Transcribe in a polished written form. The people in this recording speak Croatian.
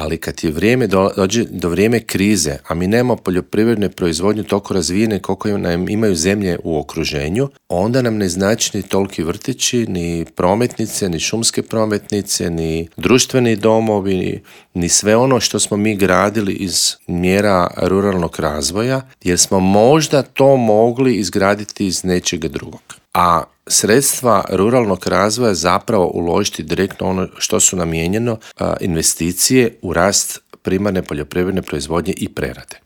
ali kad je dođe do vrijeme krize, a mi nemamo poljoprivredne proizvodnje toliko razvijene koliko nam imaju zemlje u okruženju, onda nam ne znači ni toliki vrtići, ni prometnice, ni šumske prometnice, ni društveni domovi, ni sve ono što smo mi gradili iz mjera ruralnog razvoja, jer smo možda to mogli izgraditi iz nečega drugog. A sredstva ruralnog razvoja zapravo uložiti direktno ono što su namijenjeno investicije u rast primarne poljoprivredne proizvodnje i prerade.